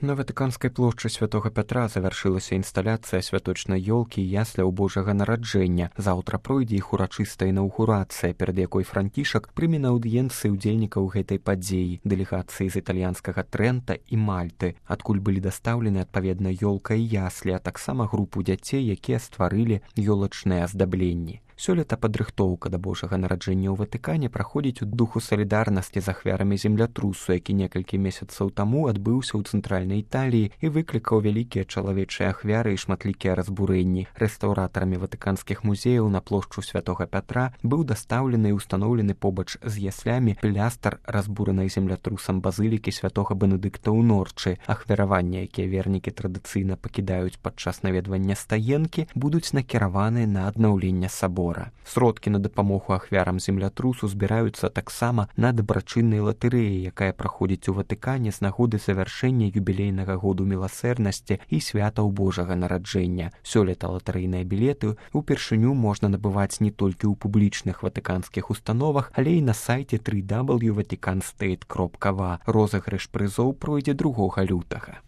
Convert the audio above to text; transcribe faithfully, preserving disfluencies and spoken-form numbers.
На Ватыканскай плошчы Святога Пятра завяршылася інсталяцыя святочнай ёлкі і ясляў Божага нараджэння. Заўтра пройдзе іх урачыстая інаўгурацыя, перад якой Францішак прыме на аўдыенцыі ўдзельнікаў гэтай падзеі, дэлегацыі з італьянскага Трэнта і Мальты, адкуль былі дастаўлены адпаведна ёлка і яслі, а таксама групу дзяцей, якія стварылі ёлачныя аздабленні. Сёлета падрыхтоўка да Божага нараджэння ў Ватыкане праходзіць у духу салідарнасці з ахвярамі землятрусу, які некалькі месяцаў таму адбыўся ў цэнтральнай Італіі і выклікаў вялікія чалавечыя ахвяры і шматлікія разбурэнні. Рэстаўратарамі ватыканскіх музеяў на плошчу Святога Пятра быў дастаўлены і ўстаноўлены побач з яслямі плястар разбуранай землятрусам базылікі святога Бенедыкта ў Норчы. Ахвяраванні, якія вернікі традыцыйна пакідаюць падчас наведвання стаенкі, будуць накіраваны на аднаўленне сабора. Сродкі на дапамогу ахвярам землятрусу збіраюцца таксама на дабрачыннай латарэі, якая праходзіць у Ватыкане з нагоды завяршэння юбілейнага году міласэрнасці і святаў Божага нараджэння. Сёлета латарэйныя білеты упершыню можна набываць не толькі ў публічных ватыканскіх установах, але і на сайце дабл ю дабл ю дабл ю крапка ватикан стейт крапка ва. Розыгрыш прызоў пройдзе другога лютага.